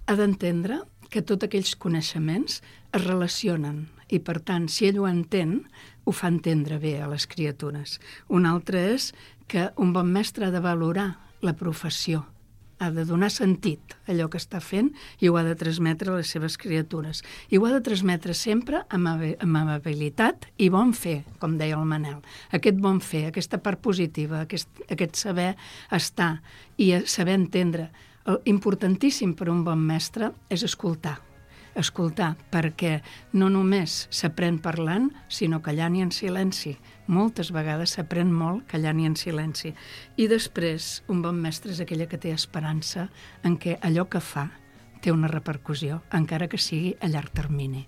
ha d'entendre que tots aquells coneixements es relacionen i, per tant, si ell ho entén, ho fa entendre bé a les criatures. Un altre és que un bon mestre ha de valorar la professió, ha de donar sentit a allò que està fent i ho ha de transmetre a les seves criatures. I ho ha de transmetre sempre amb amabilitat i bon fer, com deia el Manel. Aquest bon fer, aquesta part positiva, aquest saber estar i saber entendre. Importantíssim per un bon mestre és escoltar, perquè no només s'aprèn parlant, sinó callant i en silenci. Moltes vegades s'aprèn molt callant i en silenci. I després, un bon mestre és aquella que té esperança en què allò que fa té una repercussió, encara que sigui a llarg termini.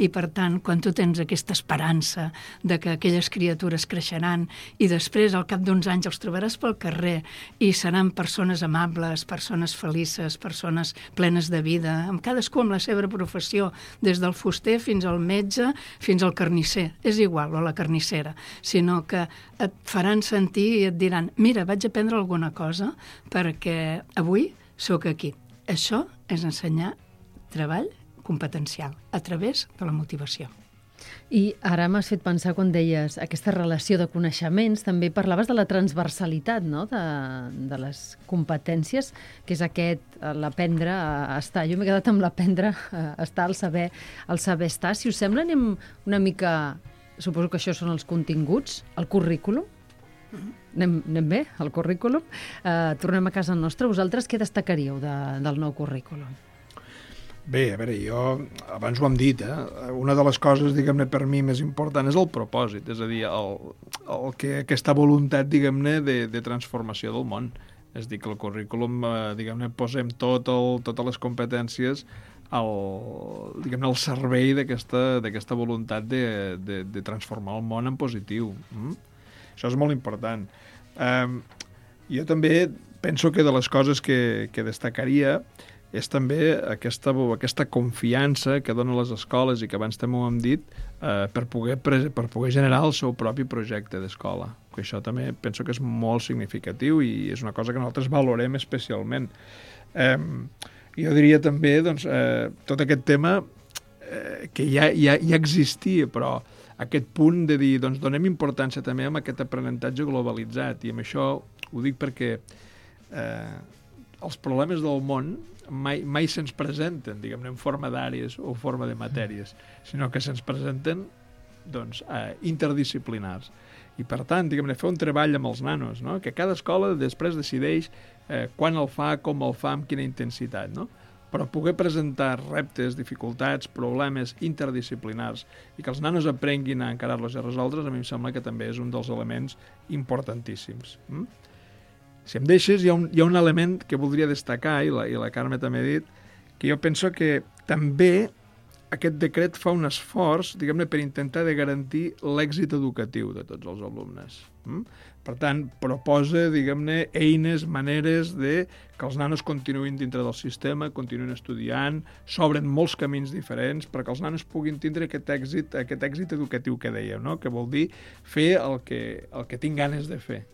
I, per tant, quan tu tens aquesta esperança de que aquelles criatures creixeran i després, al cap d'uns anys, els trobaràs pel carrer i seran persones amables, persones felices, persones plenes de vida, amb cadascú amb la seva professió, des del fuster fins al metge, fins al carnisser. És igual, o la carnissera, sinó que et faran sentir i et diran mira, vaig aprendre alguna cosa perquè avui sóc aquí. Això és ensenyar treball competencial a través de la motivació. I ara m'has fet pensar quan deies aquesta relació de coneixements, també parlaves de la transversalitat, no?, de les competències, que és l'aprendre a estar. Jo m'he quedat amb l'aprendre a estar, el saber estar. Si us sembla, anem una mica, suposo que això són els continguts, el currículum. Anem bé, el currículum. Tornem a casa nostra. Vosaltres què destacaríeu del nou currículum? Bé, a veure, jo abans ho hem dit, una de les coses, diguem-ne, per mi més important és el propòsit, és a dir, aquesta voluntat, diguem-ne, de transformació del món. És a dir, que el currículum, diguem-ne, posem totes les competències al servei d'aquesta voluntat de transformar el món en positiu. Això és molt important. Jo també penso que de les coses que destacaria és també aquesta confiança que donen les escoles i que abans també ho hem dit per poder generar el seu propi projecte d'escola. Que això també penso que és molt significatiu i és una cosa que nosaltres valorem especialment. Jo diria també, doncs, tot aquest tema que ja existia, però aquest punt de dir, doncs, donem importància també a aquest aprenentatge globalitzat, i amb això ho dic perquè els problemes del món mai se'ns presenten, diguem-ne, en forma d'àrees o forma de matèries, sinó que se'ns presenten, doncs, interdisciplinars. I, per tant, diguem-ne, fer un treball amb els nanos, no? Que cada escola després decideix quan el fa, com el fa, amb quina intensitat, no? Però poder presentar reptes, dificultats, problemes interdisciplinars i que els nanos aprenguin a encarar-los i a resoldre's, a mi em sembla que també és un dels elements importantíssims. Si em deixes, hi ha un element que voldria destacar, i la Carme també ha dit, que jo penso que també aquest decret fa un esforç, diguem-ne, per intentar de garantir l'èxit educatiu de tots els alumnes. Per tant, proposa, diguem-ne, eines, maneres de que els nanos continuïn dintre del sistema, continuïn estudiant, s'obren molts camins diferents perquè els nanos puguin tindre aquest èxit educatiu que dèiem, no? Que vol dir fer el que tinc ganes de fer.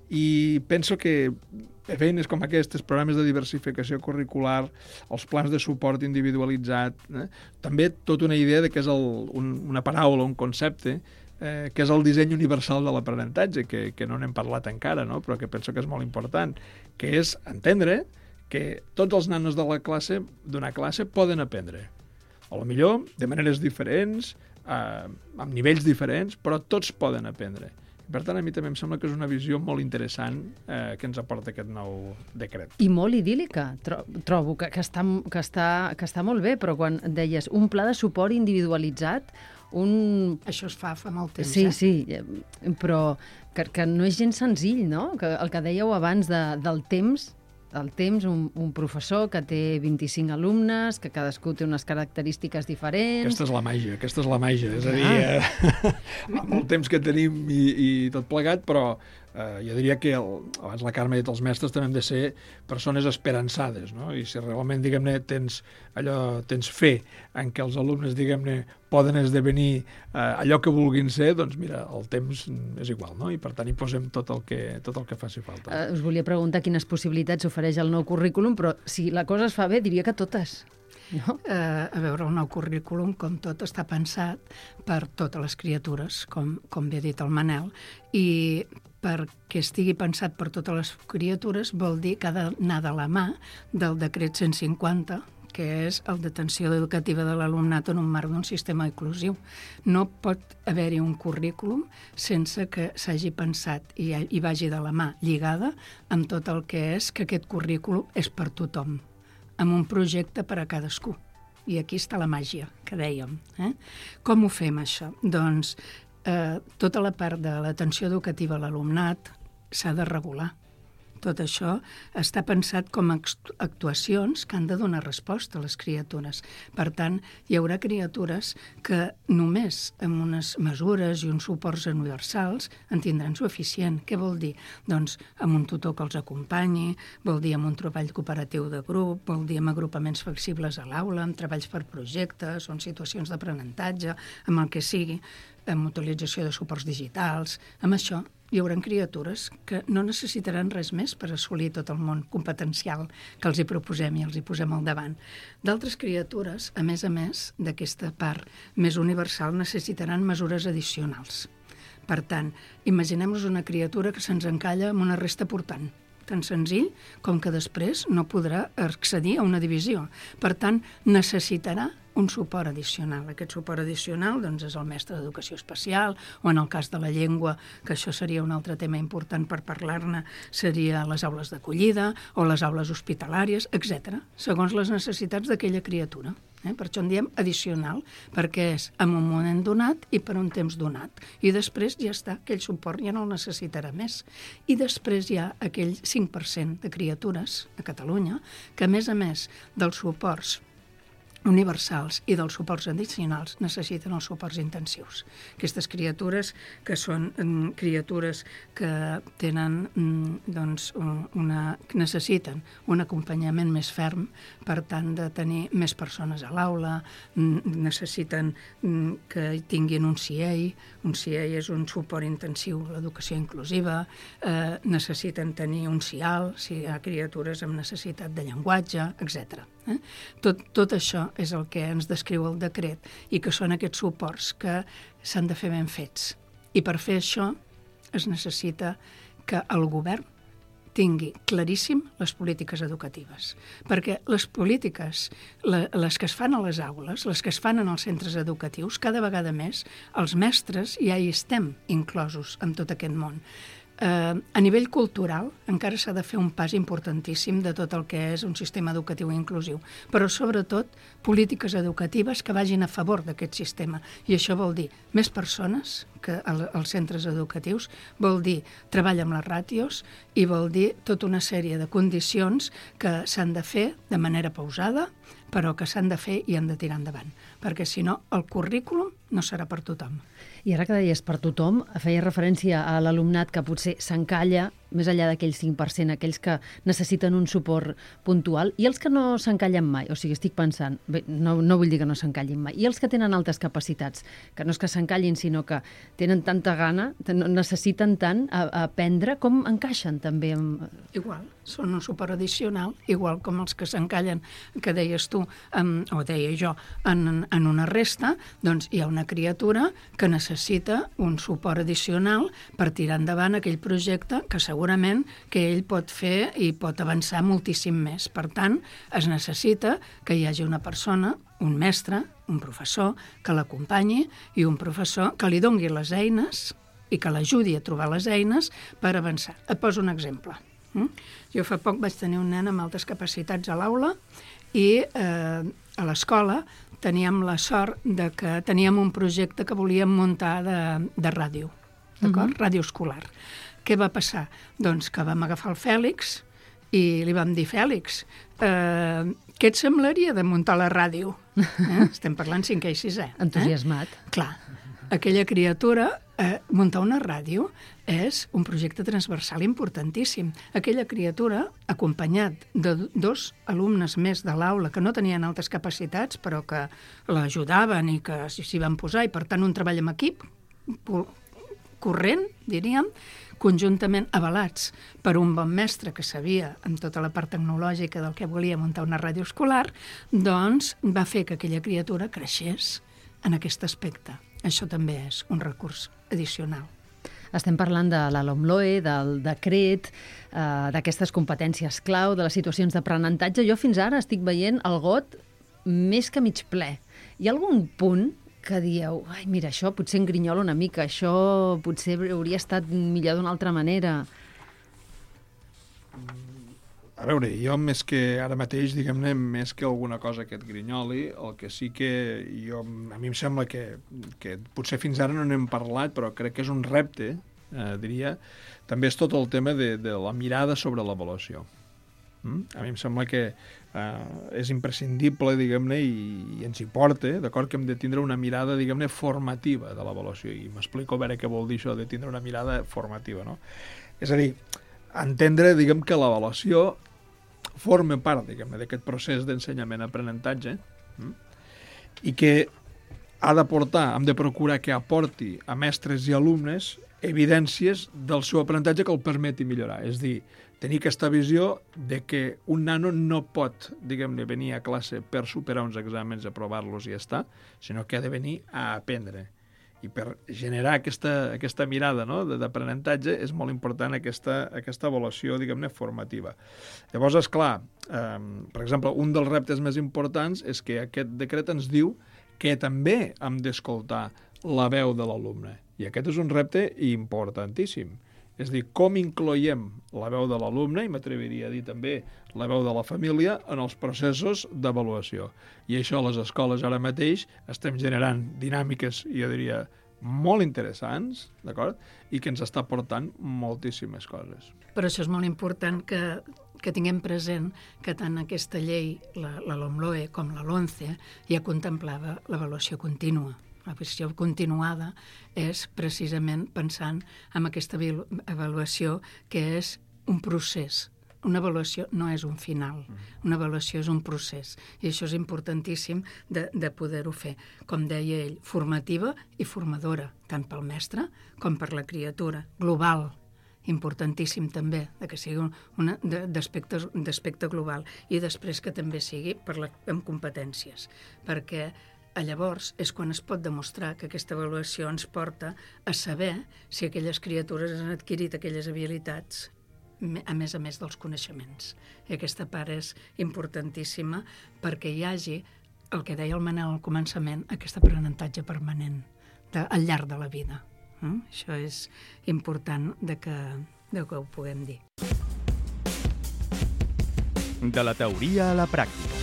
I penso que feines com aquestes, programes de diversificació curricular, els plans de suport individualitzat, també tota una idea de que és una paraula, un concepte, que és el disseny universal de l'aprenentatge, que no n'hem parlat encara, no? Però que penso que és molt important, que és entendre que tots els nanos d'una classe poden aprendre. A lo millor de maneres diferents, amb nivells diferents, però tots poden aprendre. Per tant, a mi també em sembla que és una visió molt interessant que ens aporta aquest nou decret. I molt idíl·lica, trobo, que està molt bé, però quan deies un pla de suport individualitzat, Això es fa molt temps, Sí, però que no és gens senzill, no? El que dèieu abans del temps, un professor que té 25 alumnes, que cadascú té unes característiques diferents... Aquesta és la màgia, és a dir, amb el temps que tenim i tot plegat, però jo diria que, abans la Carme ha dit, els mestres també hem de ser persones esperançades, no? I si realment, diguem-ne, tens fe en què els alumnes, diguem-ne, poden esdevenir allò que vulguin ser, doncs mira, el temps és igual, no? I per tant hi posem tot el que faci falta. Us volia preguntar quines possibilitats ofereix el nou currículum, però si la cosa es fa bé, diria que totes. No? A veure, el nou currículum, com tot, està pensat per totes les criatures, com bé ha dit el Manel, i perquè estigui pensat per totes les criatures vol dir que ha d'anar de la mà del decret 150, que és el d'atenció educativa de l'alumnat en un marc d'un sistema inclusiu. No pot haver-hi un currículum sense que s'hagi pensat i vagi de la mà lligada amb tot el que és que aquest currículum és per tothom, amb un projecte per a cadascú. I aquí està la màgia, que dèiem. Com ho fem, això? Doncs tota la part de l'atenció educativa a l'alumnat s'ha de regular. Tot això està pensat com a actuacions que han de donar resposta a les criatures. Per tant, hi haurà criatures que només amb unes mesures i uns suports universals en tindran suficient. Què vol dir? Doncs amb un tutor que els acompanyi, vol dir amb un treball cooperatiu de grup, vol dir amb agrupaments flexibles a l'aula, amb treballs per projectes o en situacions d'aprenentatge, amb el que sigui, amb utilització de suports digitals. Amb això hi haurà criatures que no necessitaran res més per assolir tot el món competencial que els hi proposem i els hi posem al davant. D'altres criatures, a més d'aquesta part més universal, necessitaran mesures addicionals. Per tant, imaginem-nos una criatura que se'ns encalla amb una resta portant, tan senzill com que després no podrà accedir a una divisió. Per tant, necessitarà un suport addicional. Aquest suport addicional doncs, és el mestre d'educació especial, o en el cas de la llengua, que això seria un altre tema important per parlar-ne, seria les aules d'acollida o les aules hospitalàries, etc., segons les necessitats d'aquella criatura. Per això en diem addicional, perquè és en un moment donat i per un temps donat. I després ja està, aquell suport ja no el necessitarà més. I després hi ha aquell 5% de criatures a Catalunya que, a més dels suports universals i dels suports addicionals necessiten els suports intensius. Aquestes criatures que són criatures que tenen necessiten un acompanyament més ferm, per tant de tenir més persones a l'aula, necessiten que tinguin un CIEI. Un CIEI és un suport intensiu a l'educació inclusiva, necessiten tenir un CIAL si hi ha criatures amb necessitat de llenguatge, etc. Tot això és el que ens descriu el decret i que són aquests suports que s'han de fer ben fets. I per fer això es necessita que el govern tingui claríssim les polítiques educatives. Perquè les polítiques, les que es fan a les aules, les que es fan en els centres educatius, cada vegada més els mestres ja hi estem inclosos en tot aquest món. A nivell cultural encara s'ha de fer un pas importantíssim de tot el que és un sistema educatiu inclusiu, però sobretot polítiques educatives que vagin a favor d'aquest sistema. I això vol dir més persones que als centres educatius, vol dir treball amb les ràtios i vol dir tota una sèrie de condicions que s'han de fer de manera pausada, però que s'han de fer i han de tirar endavant, perquè si no el currículum no serà per tothom. I ara que deies per tothom, feia referència a l'alumnat que potser s'encalla més enllà d'aquell 5%, aquells que necessiten un suport puntual, i els que no s'encallen mai. O sigui, estic pensant, bé, no vull dir que no s'encallin mai, i els que tenen altes capacitats, que no és que s'encallin, sinó que tenen tanta gana, necessiten tant aprendre, com encaixen també amb... Igual, són un suport addicional, igual com els que s'encallen, que deies tu, o deia jo, en una resta, doncs hi ha una criatura que necessita un suport addicional per tirar endavant aquell projecte que segurament que ell pot fer i pot avançar moltíssim més. Per tant, es necessita que hi hagi una persona, un mestre, un professor, que l'acompanyi i un professor que li dongui les eines i que l'ajudi a trobar les eines per avançar. Et poso un exemple. Jo fa poc vaig tenir un nen amb altes capacitats a l'aula i a l'escola teníem la sort de que teníem un projecte que volíem muntar de ràdio, d'acord? Ràdio escolar. Què va passar? Doncs que vam agafar el Fèlix i li vam dir, Fèlix, què et semblaria de muntar la ràdio? Estem parlant 5è i 6è. Entusiasmat. Clar, aquella criatura, muntar una ràdio és un projecte transversal importantíssim. Aquella criatura, acompanyat de 2 alumnes més de l'aula que no tenien altes capacitats, però que l'ajudaven i que s'hi van posar, i per tant un treball en equip corrent, diríem, conjuntament avalats per un bon mestre que sabia amb tota la part tecnològica del que volia muntar una ràdio escolar, doncs va fer que aquella criatura creixés en aquest aspecte. Això també és un recurs addicional. Estem parlant de la LOMLOE, del decret, d'aquestes competències clau, de les situacions d'aprenentatge. Jo fins ara estic veient el got més que mig ple. Hi ha algun punt que dieu, ai, mira, això potser engrinyola una mica, això potser hauria estat millor d'una altra manera? A veure, jo més que ara mateix, diguem-ne, més que alguna cosa que et grinyoli, el que sí que a mi em sembla que potser fins ara no n'hem parlat, però crec que és un repte, diria, també és tot el tema de la mirada sobre l'avaluació. A mi em sembla que és imprescindible, diguem-ne, i ens hi porta, d'acord, que hem de tindre una mirada, diguem-ne, formativa de l'avaluació. I m'explico a veure què vol dir això de tindre una mirada formativa, no? És a dir, entendre, diguem, que l'avaluació forma part, diguem-ne, d'aquest procés d'ensenyament-aprenentatge i que hem de procurar que aporti a mestres i alumnes evidències del seu aprenentatge que el permeti millorar. És dir, tenir aquesta visió de que un nano no pot, diguem-ne, venir a classe per superar uns exàmens, aprovar-los i ja està, sinó que ha de venir a aprendre. I per generar aquesta mirada, no, d'aprenentatge és molt important aquesta avaluació, diguem-ne, formativa. Llavors, esclar, per exemple, un dels reptes més importants és que aquest decret ens diu que també hem d'escoltar la veu de l'alumne. I aquest és un repte importantíssim. És a dir, com incloiem la veu de l'alumne, i m'atreviria a dir també la veu de la família, en els processos d'avaluació. I això a les escoles ara mateix estem generant dinàmiques, jo diria, molt interessants, d'acord? I que ens està portant moltíssimes coses. Per això és molt important que que tinguem present que tant aquesta llei, la LOMLOE com la LOMCE, ja contemplava l'avaluació contínua. L'avaluació continuada és precisament pensant en aquesta avaluació que és un procés. Una avaluació no és un final, una avaluació és un procés, i això és importantíssim de poder-ho fer. Com deia ell, formativa i formadora, tant pel mestre com per la criatura, global, importantíssim també, que sigui d'aspecte global, i després que també sigui amb competències, perquè llavors és quan es pot demostrar que aquesta avaluació ens porta a saber si aquelles criatures han adquirit aquelles habilitats a més dels coneixements. I aquesta part és importantíssima perquè hi hagi, el que deia el Manel al començament, aquest aprenentatge permanent al llarg de la vida. Això és important que ho puguem dir. De la teoria a la pràctica.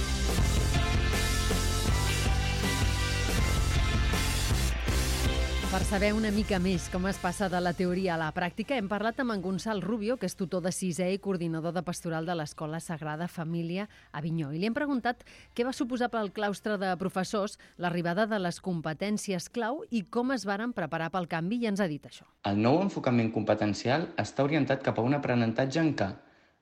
Per saber una mica més com es passa de la teoria a la pràctica, hem parlat amb en Gonçal Rubio, que és tutor de 6è i coordinador de pastoral de l'Escola Sagrada Família a Avinyó. I li hem preguntat què va suposar pel claustre de professors l'arribada de les competències clau i com es varen preparar pel canvi, i ens ha dit això. El nou enfocament competencial està orientat cap a un aprenentatge en què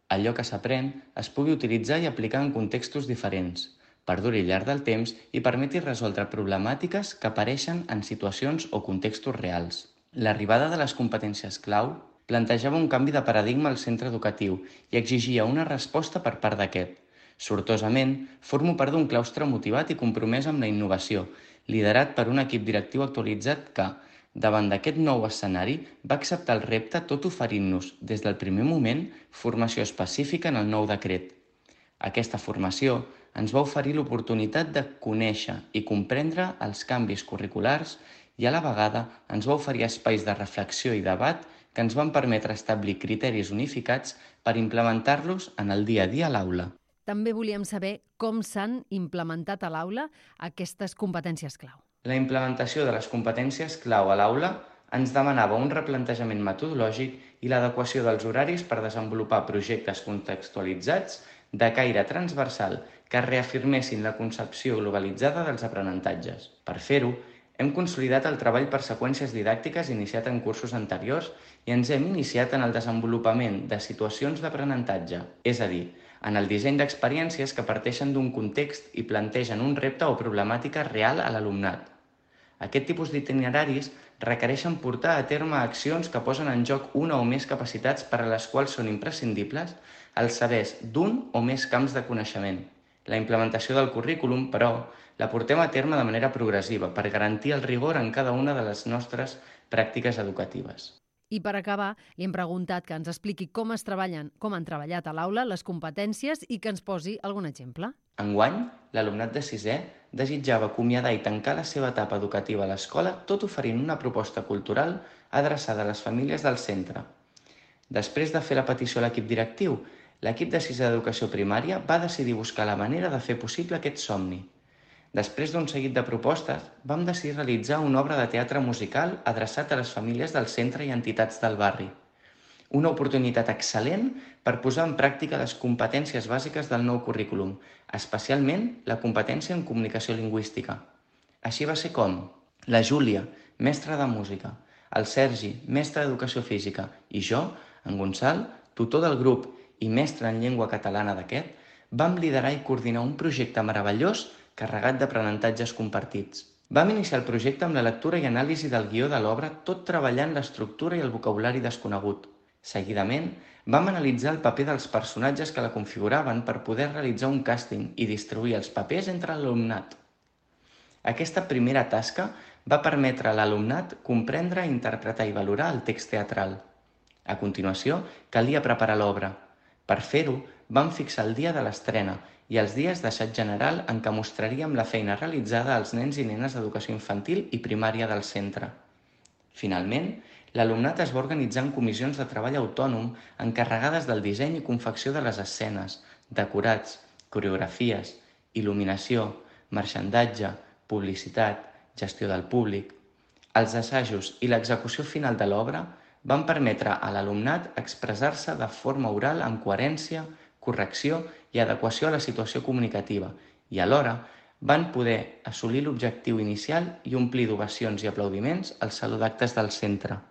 allò que s'aprèn es pugui utilitzar i aplicar en contextos diferents, perduri al llarg del temps i permeti resoldre problemàtiques que apareixen en situacions o contextos reals. L'arribada de les competències clau plantejava un canvi de paradigma al centre educatiu i exigia una resposta per part d'aquest. Sortosament, formo part d'un claustre motivat i compromès amb la innovació, liderat per un equip directiu actualitzat que, davant d'aquest nou escenari, va acceptar el repte tot oferint-nos, des del primer moment, formació específica en el nou decret. Aquesta formació ens va oferir l'oportunitat de conèixer i comprendre els canvis curriculars i a la vegada ens va oferir espais de reflexió i debat que ens van permetre establir criteris unificats per implementar-los en el dia a dia a l'aula. També volíem saber com s'han implementat a l'aula aquestes competències clau. La implementació de les competències clau a l'aula ens demanava un replantejament metodològic i l'adequació dels horaris per desenvolupar projectes contextualitzats de caire transversal que reafirmessin la concepció globalitzada dels aprenentatges. Per fer-ho, hem consolidat el treball per seqüències didàctiques iniciat en cursos anteriors i ens hem iniciat en el desenvolupament de situacions d'aprenentatge, és a dir, en el disseny d'experiències que parteixen d'un context i plantegen un repte o problemàtica real a l'alumnat. Aquest tipus d'itineraris requereixen portar a terme accions que posen en joc una o més capacitats per a les quals són imprescindibles els sabers d'un o més camps de coneixement. La implementació del currículum, però, la portem a terme de manera progressiva per garantir el rigor en cada una de les nostres pràctiques educatives. I per acabar, li hem preguntat que ens expliqui com han treballat a l'aula les competències i que ens posi algun exemple. Enguany, l'alumnat de 6è desitjava acomiadar i tancar la seva etapa educativa a l'escola tot oferint una proposta cultural adreçada a les famílies del centre. Després de fer la petició a l'equip directiu, l'equip de 6è d'educació primària va decidir buscar la manera de fer possible aquest somni. Després d'un seguit de propostes, vam decidir realitzar una obra de teatre musical adreçat a les famílies del centre i entitats del barri. Una oportunitat excel·lent per posar en pràctica les competències bàsiques del nou currículum, especialment la competència en comunicació lingüística. Així va ser com la Júlia, mestra de música, el Sergi, mestre d'educació física, i jo, en Gonçal, tutor del grup i mestre en llengua catalana d'aquest, vam liderar i coordinar un projecte meravellós carregat d'aprenentatges compartits. Vam iniciar el projecte amb la lectura i anàlisi del guió de l'obra, tot treballant l'estructura i el vocabulari desconegut. Seguidament, vam analitzar el paper dels personatges que la configuraven per poder realitzar un càsting i distribuir els papers entre l'alumnat. Aquesta primera tasca va permetre a l'alumnat comprendre, interpretar i valorar el text teatral. A continuació, calia preparar l'obra. Per fer-ho, vam fixar el dia de l'estrena i els dies d'assaig general en què mostraríem la feina realitzada als nens i nenes d'educació infantil i primària del centre. Finalment, l'alumnat es va organitzar en comissions de treball autònom encarregades del disseny i confecció de les escenes, decorats, coreografies, il·luminació, marxandatge, publicitat, gestió del públic. Els assajos i l'execució final de l'obra van permetre a l'alumnat expressar-se de forma oral amb coherència, correcció i adequació a la situació comunicativa i, alhora, van poder assolir l'objectiu inicial i omplir d'ovacions i aplaudiments el saló d'actes del centre.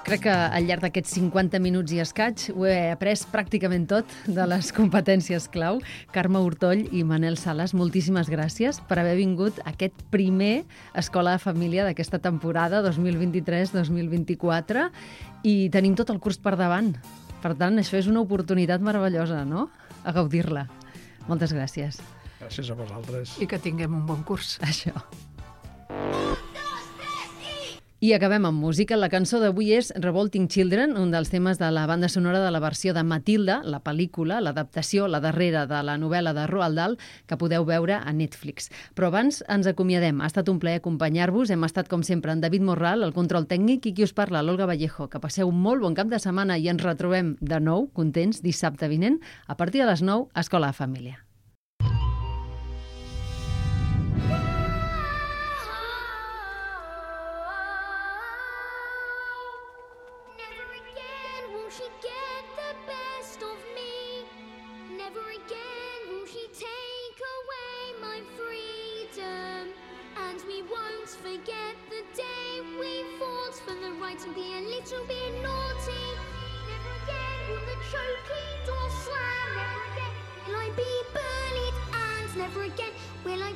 Crec que al llarg d'aquests 50 minuts i escaig ho he après pràcticament tot de les competències clau. Carme Hortoll i Manel Sales, moltíssimes gràcies per haver vingut a aquest primer Escola de Família d'aquesta temporada 2023-2024 i tenim tot el curs per davant. Per tant, això és una oportunitat meravellosa, no?, a gaudir-la. Moltes gràcies. Gràcies a vosaltres. I que tinguem un bon curs. Això. I acabem amb música. La cançó d'avui és Revolting Children, un dels temes de la banda sonora de la versió de Matilda, la pel·lícula, l'adaptació, la darrera de la novel·la de Roald Dahl, que podeu veure a Netflix. Però abans ens acomiadem. Ha estat un plaer acompanyar-vos. Hem estat, com sempre, en David Morral, el control tècnic, i qui us parla, l'Olga Vallejo. Que passeu un molt bon cap de setmana i ens retrobem de nou, contents, dissabte vinent, a partir de les 9, a Escola de Família. Forget the day we fought for the right to be a little bit naughty. Never again will the choking door slam. Never again will I be bullied, and never again will I